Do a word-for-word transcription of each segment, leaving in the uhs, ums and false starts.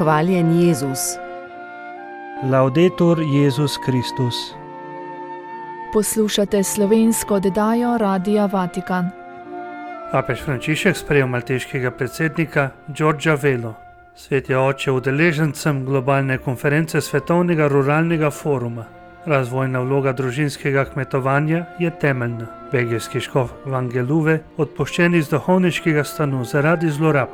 Hvaljen Jezus. Laudetur Jezus Kristus. Poslušate slovensko oddajo Radia Vatikan. Papež Frančišek sprejel malteškega predsednika Giorgia Velo. Sveti oče udeležencem globalne konference Svetovnega ruralnega foruma. Razvojna vloga družinskega kmetovanja je temeljna. Belgijski škof Vangeluve odpuščen iz duhovniškega stanu zaradi zlorab.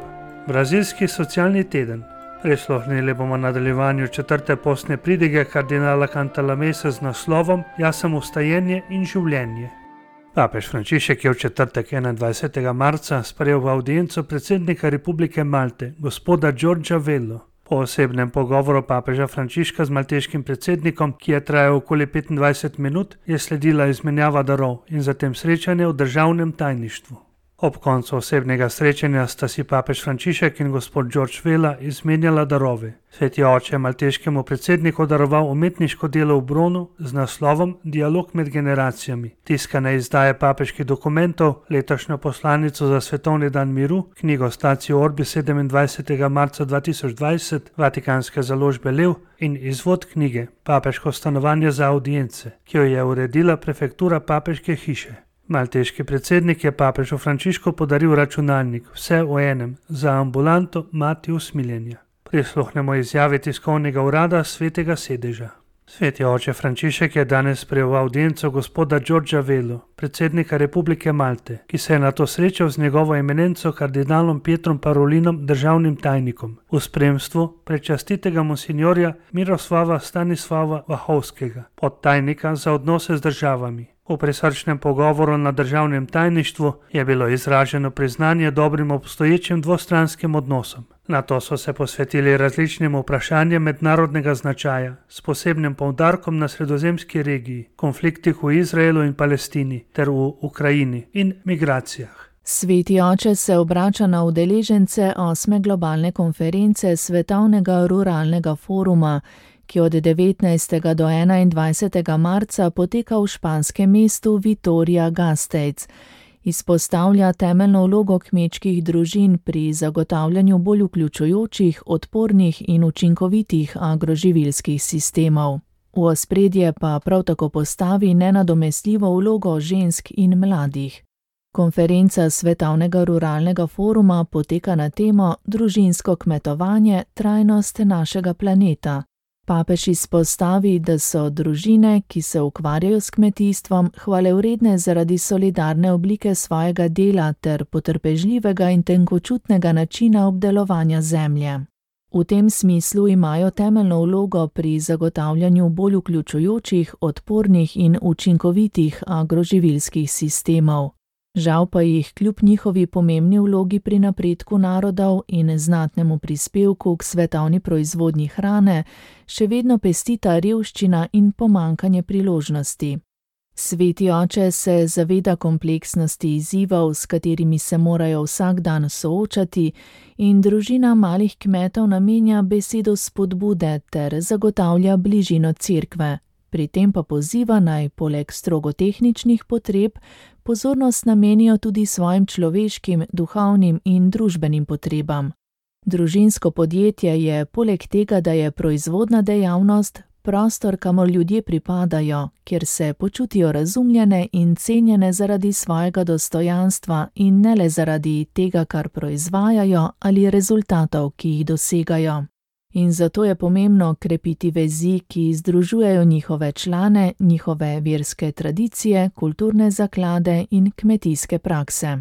Brazilski socialni teden. Prisluhnili bomo nadaljevanju četrte postne pridige kardinala Cantalamessa z naslovom Jaz sem vstajenje in življenje. Papež Frančišek je v četrtek enaindvajsetega marca sprejel v avdienco predsednika Republike Malte, gospoda Giorgia Velo. Po osebnem pogovoru papeža Frančiška z malteškim predsednikom, ki je trajal okoli petindvajset minut, je sledila izmenjava darov in zatem srečanje v državnem tajništvu. Ob koncu osebnega srečanja sta si papež Frančišek in gospod George Vela izmenjala darove. Sveti oče je malteškemu predsedniku daroval umetniško delo v bronu z naslovom Dialog med generacijami, tiskane izdaje papeških dokumentov, letošnjo poslanico za svetovni dan miru, knjigo Statio Orbi sedemindvajsetega marca dva tisoč dvajset, vatikanske založbe Lev in izvod knjige Papeško stanovanje za audience, ki jo je uredila prefektura papeške hiše. Malteški predsednik je papežu Frančišku podaril računalnik, vse v enem, za ambulanto Mati usmiljenja. Prisluhnemo izjavi tiskovnega urada Svetega sedeža. Sveti oče Frančišek je danes sprejel audienco gospoda Giorgia Velo, predsednika Republike Malte, ki se je nato srečal z njegovo eminenco kardinalom Pietrom Parolinom, državnim tajnikom, v spremstvu prečastitega monsinjorja Miroslava Stanislava Vahovskega, podtajnika za odnose z državami. V prisrčnem pogovoru na državnem tajništvu je bilo izraženo priznanje dobrim obstoječim dvostranskim odnosom. Nato so se posvetili različnim vprašanjem mednarodnega značaja, s posebnim poudarkom na sredozemski regiji, konfliktih v Izraelu in Palestini ter v Ukrajini in migracijah. Sveti oče se obrača na udeležence osme globalne konference Svetovnega ruralnega foruma, ki od devetnajstega do enaindvajsetega marca poteka v španskem mestu Vitoria-Gasteiz. Izpostavlja temeljno vlogo kmečkih družin pri zagotavljanju bolj vključujočih, odpornih in učinkovitih agroživilskih sistemov. V ospredje pa prav tako postavi nenadomestljivo vlogo žensk in mladih. Konferenca Svetovnega ruralnega foruma poteka na temo Družinsko kmetovanje, trajnost našega planeta. Papež izpostavi, da so družine, ki se ukvarjajo s kmetijstvom, hvalevredne zaradi solidarne oblike svojega dela ter potrpežljivega in tenkočutnega načina obdelovanja zemlje. V tem smislu imajo temeljno vlogo pri zagotavljanju bolj vključujočih, odpornih in učinkovitih agroživilskih sistemov. Žal pa jih kljub njihovi pomembni vlogi pri napredku narodov in znatnemu prispevku k svetovni proizvodnji hrane še vedno pestita revščina in pomanjkanje priložnosti. Sveti oče se zaveda kompleksnosti izzivov, s katerimi se morajo vsak dan soočati, in družina malih kmetov namenja besedo spodbude ter zagotavlja bližino cerkve. Pri tem pa poziva naj poleg strogo tehničnih potreb pozornost namenijo tudi svojim človeškim, duhovnim in družbenim potrebam. Družinsko podjetje je poleg tega, da je proizvodna dejavnost, prostor, kamor ljudje pripadajo, kjer se počutijo razumljene in cenjene zaradi svojega dostojanstva in ne le zaradi tega, kar proizvajajo ali rezultatov, ki jih dosegajo. In zato je pomembno krepiti vezi, ki združujejo njihove člane, njihove verske tradicije, kulturne zaklade in kmetijske prakse.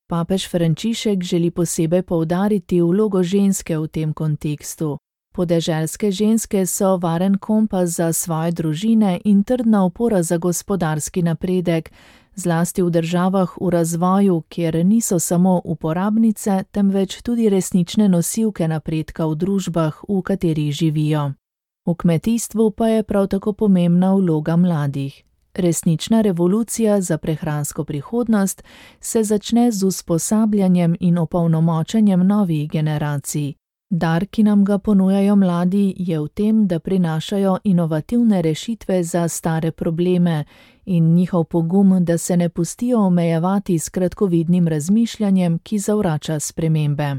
Papež Frančišek želi posebej poudariti vlogo ženske v tem kontekstu. Podeželske ženske so varen kompas za svoje družine in trdna opora za gospodarski napredek, zlasti v državah v razvoju, kjer niso samo uporabnice, temveč tudi resnične nosilke napredka v družbah, v katerih živijo. V kmetijstvu pa je prav tako pomembna vloga mladih. Resnična revolucija za prehransko prihodnost se začne z usposabljanjem in opolnomočenjem novih generacij. Dar, ki nam ga ponujajo mladi, je v tem, da prinašajo inovativne rešitve za stare probleme in njihov pogum, da se ne pustijo omejevati s kratkovidnim razmišljanjem, ki zavrača spremembe.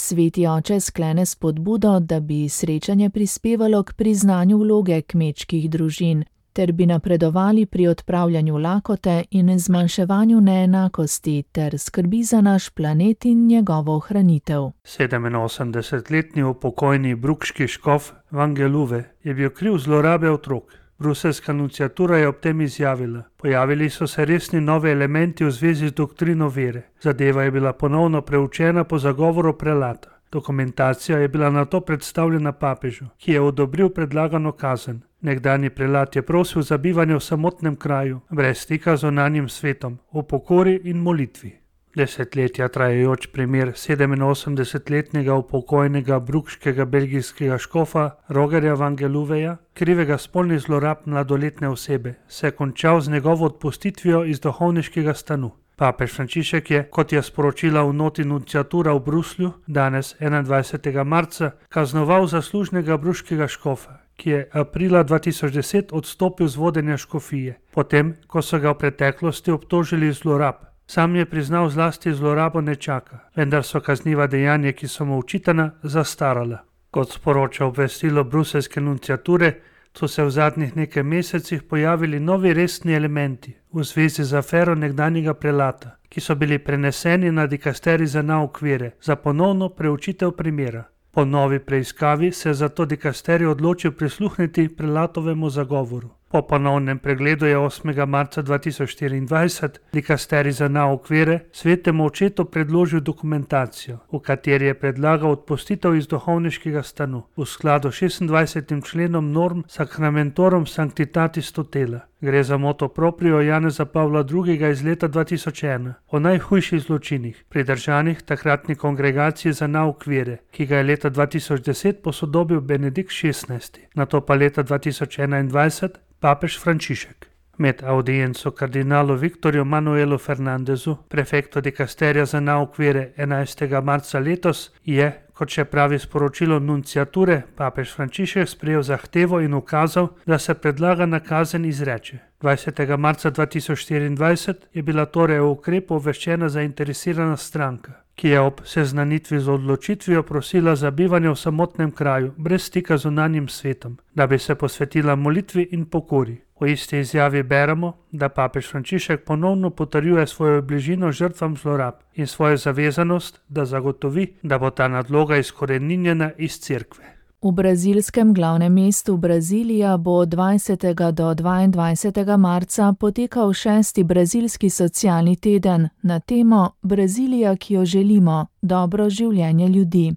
Sveti oče sklene spodbudo, da bi srečanje prispevalo k priznanju vloge kmečkih družin, ter bi napredovali pri odpravljanju lakote in zmanjševanju neenakosti ter skrbi za naš planet in njegovo ohranitev. sedeminosemdesetletni upokojeni brukški škof Vangeluve je bil kriv zlorabe otrok. Bruseljska nunciatura je ob tem izjavila: pojavili so se resni novi elementi v zvezi z doktrino vere. Zadeva je bila ponovno preučena po zagovoru prelata. Dokumentacija je bila nato predstavljena papežu, ki je odobril predlagano kazen. Nekdanji prelat je prosil za bivanje v samotnem kraju, brez stika z zunanjim svetom, v pokori in molitvi. Desetletja trajajoč primer sedeminosemdesetletnega upokojenega brukškega belgijskega škofa Rogerja Vangeluveja, krivega spolnih zlorab mladoletne osebe, se je končal z njegovo odpustitvijo iz duhovniškega stanu. Papež Frančišek je, kot je sporočila v noti nunciatura v Bruslju, danes enaindvajsetega marca, kaznoval zaslužnega bruškega škofa, ki je aprila dva tisoč deset odstopil z vodenja škofije, potem, ko so ga v preteklosti obtožili zlorab. Sam je priznal zlasti zlorabo nečaka, vendar so kazniva dejanja, ki so mu očitana, zastarala. Kot sporoča obvestilo bruseljske nunciature, so se v zadnjih nekaj mesecih pojavili novi resni elementi v zvezi z afero nekdanjega prelata, ki so bili preneseni na dikasterij za nauk vere za ponovno preučitev primera. Po novi preiskavi se je zato dikasterij odločil prisluhniti prelatovemu zagovoru. Po ponovnem pregledu je osmega marca dva tisoč štiriindvajset dikasterij za nauk vere svetemu očetu predložil dokumentacijo, v kateri je predlagal odpustitev iz duhovniškega stanu v skladu s šestindvajsetim členom norm Sacramentorum Sanctitatis Tutela. Gre za moto proprio Janeza Pavla drugega iz leta dva tisoč ena o najhujših zločinih, pridržanih takratni kongregaciji za nauk vere, ki ga je leta dva tisoč deset posodobil Benedikt šestnajsti, nato pa leta dva tisoč enaindvajset papež Frančišek. Med audienco kardinalu Viktorju Manuelu Fernandezu, prefektu dikasterija za nauk vere enajstega marca letos, je, kot še pravi sporočilo nunciature, papež Frančišek sprejel zahtevo in ukazal, da se predlagana kazen izreče. dvajsetega marca dva tisoč štiriindvajset je bila torej o ukrepu obveščena zainteresirana stranka, ki je ob seznanitvi z odločitvijo prosila za bivanje v samotnem kraju, brez stika z zunanjim svetom, da bi se posvetila molitvi in pokori. V isti izjavi beremo, da papež Frančišek ponovno potrjuje svojo bližino žrtvam zlorab in svojo zavezanost, da zagotovi, da bo ta nadloga izkoreninjena iz cerkve. V brazilskem glavnem mestu Brazilija bo od dvajsetega do dvaindvajsetega marca potekal šesti brazilski socialni teden na temo Brazilija, ki jo želimo, dobro življenje ljudi.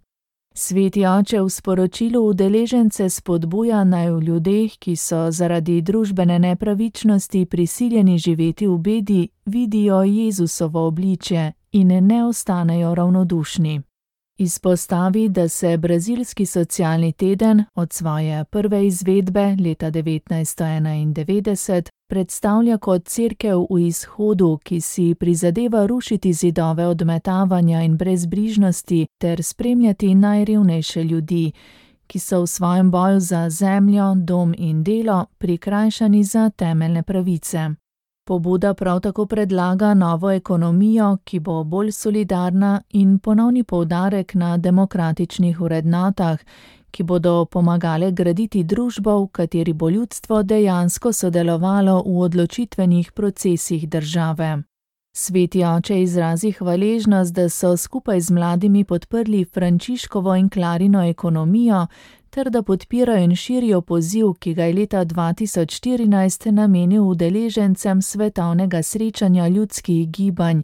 Sveti oče v sporočilu udeležence spodbuja, naj v ljudeh, ki so zaradi družbene nepravičnosti prisiljeni živeti v bedi, vidijo Jezusovo obličje in ne ostanejo ravnodušni. Izpostavi, da se brazilski socialni teden od svoje prve izvedbe leta devetnajststo enaindevetdeset predstavlja kot cerkev v izhodu, ki si prizadeva rušiti zidove odmetavanja in brezbrižnosti ter spremljati najrevnejše ljudi, ki so v svojem boju za zemljo, dom in delo prikrajšani za temeljne pravice. Pobuda prav tako predlaga novo ekonomijo, ki bo bolj solidarna in ponovni poudarek na demokratičnih vrednotah, ki bodo pomagale graditi družbo, v kateri bo ljudstvo dejansko sodelovalo v odločitvenih procesih države. Sveti oče izrazi hvaležnost, da so skupaj z mladimi podprli Frančiškovo in Klarino ekonomijo, ter da podpirajo in širijo poziv, ki ga je leta dva tisoč štirinajst namenil udeležencem svetovnega srečanja ljudskih gibanj,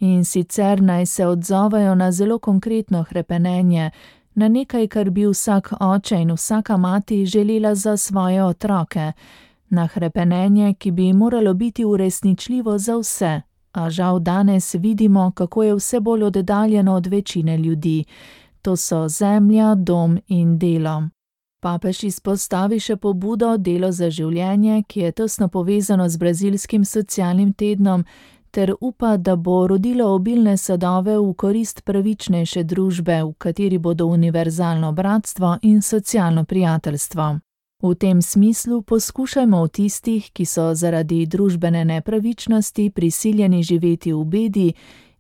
in sicer naj se odzovejo na zelo konkretno hrepenenje, na nekaj, kar bi vsak oče in vsaka mati želela za svoje otroke, na hrepenenje, ki bi moralo biti uresničljivo za vse, a žal danes vidimo, kako je vse bolj oddaljeno od večine ljudi. To so zemlja, dom in delo. Papež izpostavi še pobudo Delo za življenje, ki je tesno povezano z brazilskim socialnim tednom, ter upa, da bo rodilo obilne sadove v korist pravičnejše družbe, v kateri bodo univerzalno bratstvo in socialno prijateljstvo. V tem smislu poskušajmo v tistih, ki so zaradi družbene nepravičnosti prisiljeni živeti v bedi,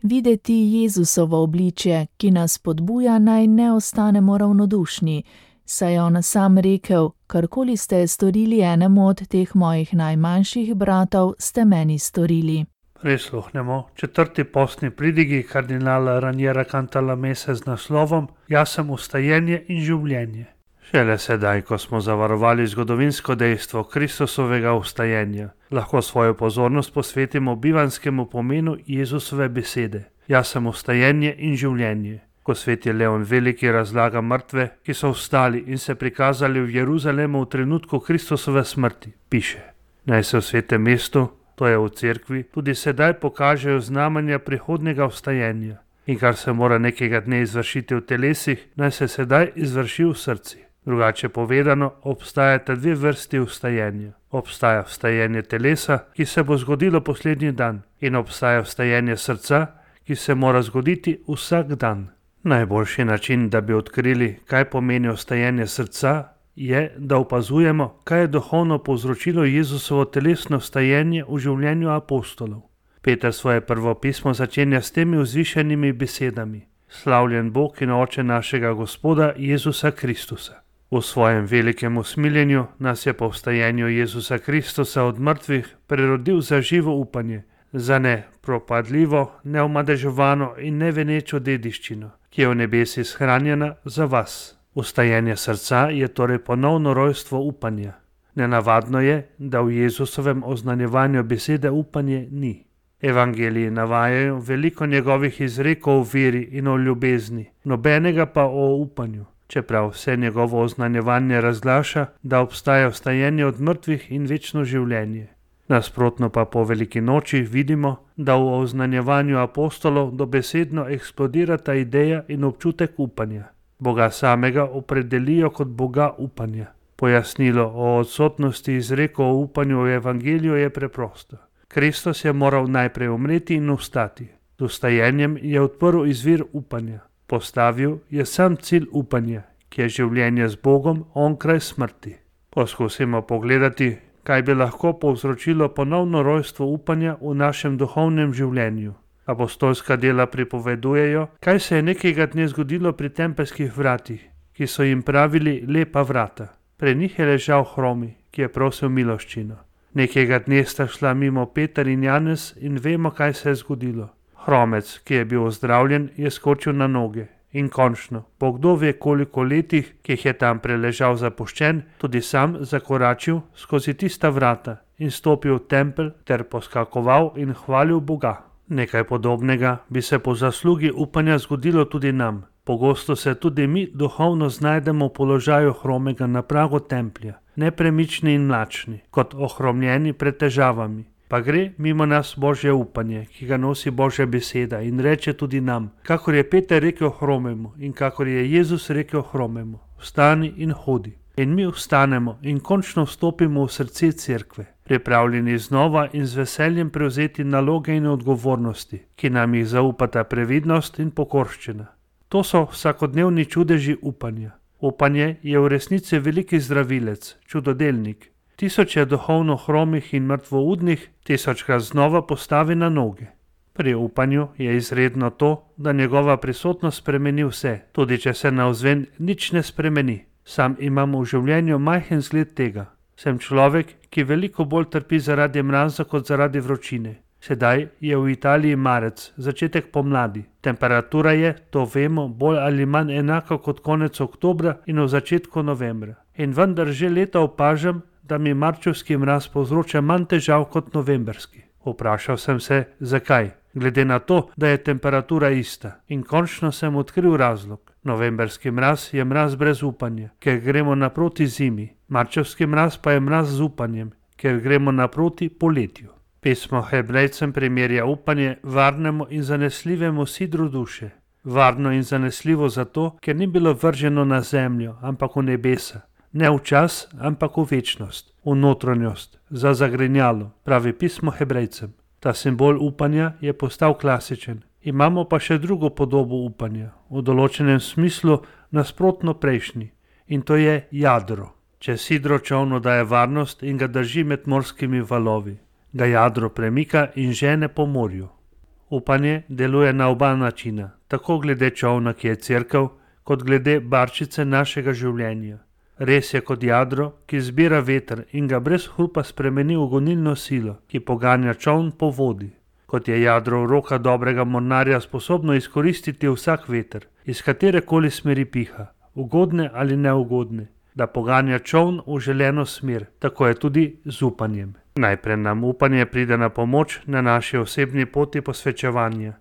videti Jezusovo obličje, ki nas podbuja, naj ne ostanemo ravnodušni, saj je on sam rekel: karkoli ste storili enemu od teh mojih najmanjših bratov, ste meni storili. Prisluhnemo četrti postni pridigi kardinala Raniera Cantalamesse z naslovom Jaz sem vstajenje in življenje. Šele sedaj, ko smo zavarovali zgodovinsko dejstvo Kristusovega vstajenja, lahko svojo pozornost posvetimo bivanskemu pomenu Jezusove besede. Jaz sem vstajenje in življenje. Ko sveti Leon Veliki razlaga mrtve, ki so vstali in se prikazali v Jeruzalemu v trenutku Kristusove smrti, piše: naj se v svetem mestu, to je v cerkvi, tudi sedaj pokažejo znamenja prihodnega vstajenja. In kar se mora nekega dne izvršiti v telesih, naj se sedaj izvrši v srci. Drugače povedano, obstajata dve vrsti vstajenja. Obstaja vstajenje telesa, ki se bo zgodilo poslednji dan, in obstaja vstajenje srca, ki se mora zgoditi vsak dan. Najboljši način, da bi odkrili, kaj pomeni vstajenje srca, je, da opazujemo, kaj je duhovno povzročilo Jezusovo telesno vstajenje v življenju apostolov. Peter svoje prvo pismo začenja s temi vzvišenimi besedami: Slavljen Bog in Oče našega Gospoda Jezusa Kristusa. V svojem velikem usmiljenju nas je po vstajenju Jezusa Kristusa od mrtvih prerodil za živo upanje, za ne propadljivo, neomadeževano in nevenečo dediščino, ki je v nebesi shranjena za vas. Vstajenje srca je torej ponovno rojstvo upanja. Nenavadno je, da v Jezusovem oznanjevanju besede upanje ni. Evangeliji navajajo veliko njegovih izrekov o veri in o ljubezni, nobenega pa o upanju, čeprav vse njegovo oznanjevanje razglaša, da obstaja vstajenje od mrtvih in večno življenje. Nasprotno pa po veliki noči vidimo, da v oznanjevanju apostolov dobesedno eksplodirata ideja in občutek upanja. Boga samega opredelijo kot Boga upanja. Pojasnilo o odsotnosti izrekov o upanju v evangeliju je preprosto. Kristus je moral najprej umreti in vstati. Z vstajenjem je odprl izvir upanja. Postavil je sam cilj upanja, ki je življenje z Bogom onkraj smrti. Poskusimo pogledati, kaj bi lahko povzročilo ponovno rojstvo upanja v našem duhovnem življenju. Apostolska dela pripovedujejo, kaj se je nekega dne zgodilo pri tempelskih vratih, ki so jim pravili lepa vrata. Pred njih je ležal hromi, ki je prosil miloščino. Nekega dne sta šla mimo Peter in Janez in vemo, kaj se je zgodilo. Hromec, ki je bil ozdravljen, je skočil na noge in končno, po kdo ve koliko letih, ki jih je tam preležal zapuščen, tudi sam zakoračil skozi tista vrata in stopil v tempelj ter poskakoval in hvalil Boga. Nekaj podobnega bi se po zaslugi upanja zgodilo tudi nam. Pogosto se tudi mi duhovno znajdemo v položaju hromega na pragu templja, nepremični in mlačni, kot ohromljeni pred težavami. Pa gre mimo nas Božje upanje, ki ga nosi Božja beseda in reče tudi nam, kakor je Peter rekel hromemu in kakor je Jezus rekel hromemu: vstani in hodi. In mi vstanemo in končno vstopimo v srce cerkve, pripravljeni znova in z veseljem prevzeti naloge in odgovornosti, ki nam jih zaupata previdnost in pokorščina. To so vsakodnevni čudeži upanja. Upanje je v resnici veliki zdravilec, čudodelnik. Tisoče duhovno hromih in mrtvoudnih tisočkrat znova postavi na noge. Pri upanju je izredno to, da njegova prisotnost spremeni vse, tudi če se navzven nič ne spremeni. Sam imam v življenju majhen zgled tega. Sem človek, ki veliko bolj trpi zaradi mraza kot zaradi vročine. Sedaj je v Italiji marec, začetek pomladi. Temperatura je, to vemo, bolj ali manj enaka kot konec oktobra in v začetku novembra. In vendar že leta opažam, da mi marčevski mraz povzroča manj težav kot novemberski. Vprašal sem se, zakaj, glede na to, da je temperatura ista. In končno sem odkril razlog. Novemberski mraz je mraz brez upanja, ker gremo naproti zimi. Marčevski mraz pa je mraz z upanjem, ker gremo naproti poletju. Pismo Hebrejcem primerja upanje varnemu in zanesljivemu sidru duše. Varno in zanesljivo zato, ker ni bilo vrženo na zemljo, ampak v nebesa. Ne v čas, ampak v večnost, v notranjost, za zagrinjalo, pravi pismo Hebrejcem. Ta simbol upanja je postal klasičen. Imamo pa še drugo podobo upanja, v določenem smislu nasprotno prejšnji, in to je jadro. Če sidro čolnu daje varnost in ga drži med morskimi valovi, ga jadro premika in žene po morju. Upanje deluje na oba načina, tako glede čolna, ki je cerkev, kot glede barčice našega življenja. Res je kot jadro, ki zbira veter in ga brez hrupa spremeni v gonilno silo, ki poganja čoln po vodi. Kot je jadro v rokah dobrega mornarja sposobno izkoristiti vsak veter, iz katerekoli smeri piha, ugodne ali neugodne, da poganja čoln v želeno smer, tako je tudi z upanjem. Najprej nam upanje pride na pomoč na naši osebni poti posvečevanja.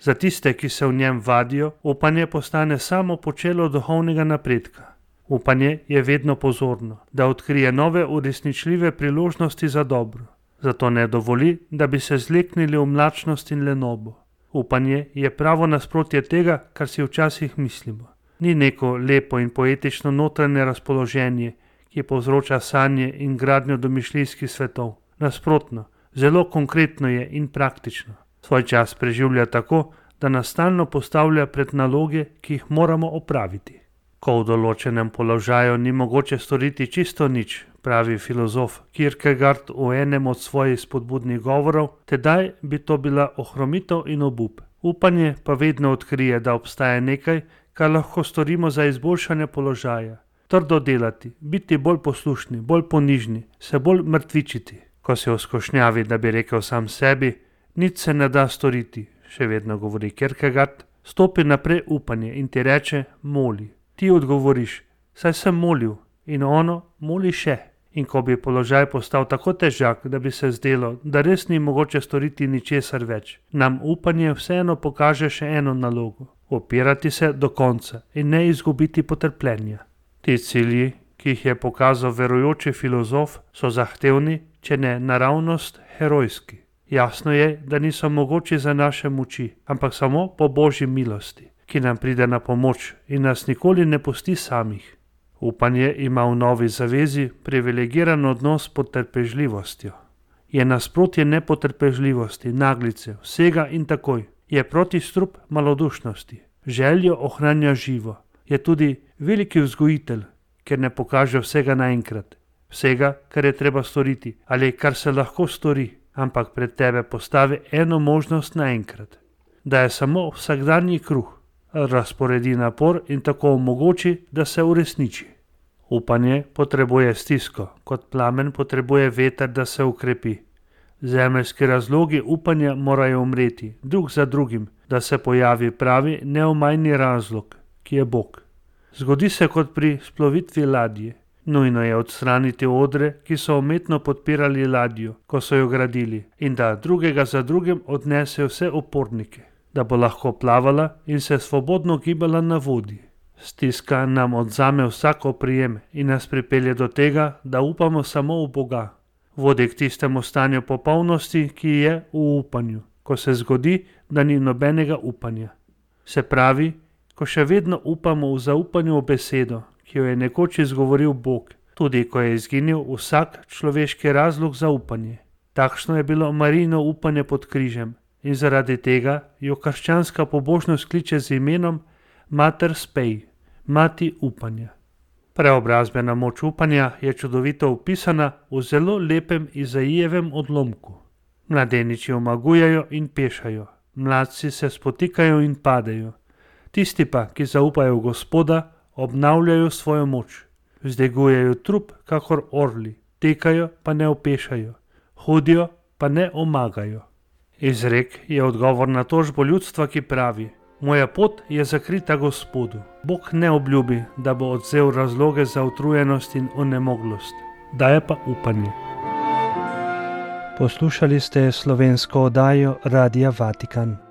Za tiste, ki se v njem vadijo, upanje postane samo počelo duhovnega napredka. Upanje je vedno pozorno, da odkrije nove uresničljive priložnosti za dobro. Zato ne dovoli, da bi se zleknili v mlačnost in lenobo. Upanje je pravo nasprotje tega, kar si včasih mislimo. Ni neko lepo in poetično notranje razpoloženje, ki povzroča sanje in gradnjo domišljijskih svetov. Nasprotno, zelo konkretno je in praktično. Svoj čas preživlja tako, da nas stalno postavlja pred naloge, ki jih moramo opraviti. Ko v določenem položaju ni mogoče storiti čisto nič, pravi filozof Kierkegaard v enem od svojih spodbudnih govorov, tedaj bi to bila ohromitev in obup. Upanje pa vedno odkrije, da obstaja nekaj, kar lahko storimo za izboljšanje položaja. Trdo delati, biti bolj poslušni, bolj ponižni, se bolj mrtvičiti. Ko si v skušnjavi, da bi rekel sam sebi, nič se ne da storiti, še vedno govori Kierkegaard, stopi naprej upanje in ti reče, moli. Ti odgovoriš, saj sem molil, in ono moli še. In ko bi položaj postal tako težak, da bi se zdelo, da res ni mogoče storiti ničesar več, nam upanje vseeno pokaže še eno nalogo. Opirati se do konca in ne izgubiti potrpljenja. Ti cilji, ki jih je pokazal verujoči filozof, so zahtevni, če ne naravnost herojski. Jasno je, da niso mogoči za naše moči, ampak samo po Božji milosti, ki nam pride na pomoč in nas nikoli ne pusti samih. Upanje ima v novi zavezi privilegiran odnos s potrpežljivostjo. Je nasprotje nepotrpežljivosti, naglice, vsega in takoj. Je protistrup malodušnosti. Željo ohranja živo. Je tudi veliki vzgojitelj, ker ne pokaže vsega naenkrat. Vsega, kar je treba storiti ali kar se lahko stori, ampak pred tebe postavi eno možnost naenkrat. Da je samo vsakdanji kruh. Razporedi napor in tako omogoči, da se uresniči. Upanje potrebuje stisko, kot plamen potrebuje veter, da se ukrepi. Zemeljski razlogi upanja morajo umreti, drug za drugim, da se pojavi pravi neomajni razlog, ki je Bog. Zgodi se kot pri splovitvi ladje. Nujno je odstraniti odre, ki so umetno podpirali ladjo, ko so jo gradili, in da drugega za drugim odnese vse opornike, da bo lahko plavala in se svobodno gibala na vodi. Stiska nam odzame vsak oprijem in nas pripelje do tega, da upamo samo v Boga. Vodi k tistemu stanju popolnosti, ki je v upanju, ko se zgodi, da ni nobenega upanja. Se pravi, ko še vedno upamo v zaupanju v besedo, ki jo je nekoč izgovoril Bog, tudi ko je izginil vsak človeški razlog za upanje. Takšno je bilo Marijino upanje pod križem in zaradi tega jo krščanska pobožnost kliče z imenom Mater Spei, mati upanja. Preobrazbena moč upanja je čudovito opisana v zelo lepem Izaijevem odlomku. Mladeniči omagujejo in pešajo, mladci se spotikajo in padejo. Tisti pa, ki zaupajo v Gospoda, obnavljajo svojo moč. Vzdegujejo trup kakor orli, tekajo pa ne opešajo, hodijo pa ne omagajo. Izrek je odgovor na tožbo ljudstva, ki pravi: moja pot je zakrita Gospodu. Bog ne obljubi, da bo odvzel razloge za utrujenost in onemoglost, daje pa upanje. Poslušali ste slovensko oddajo Radia Vatikan.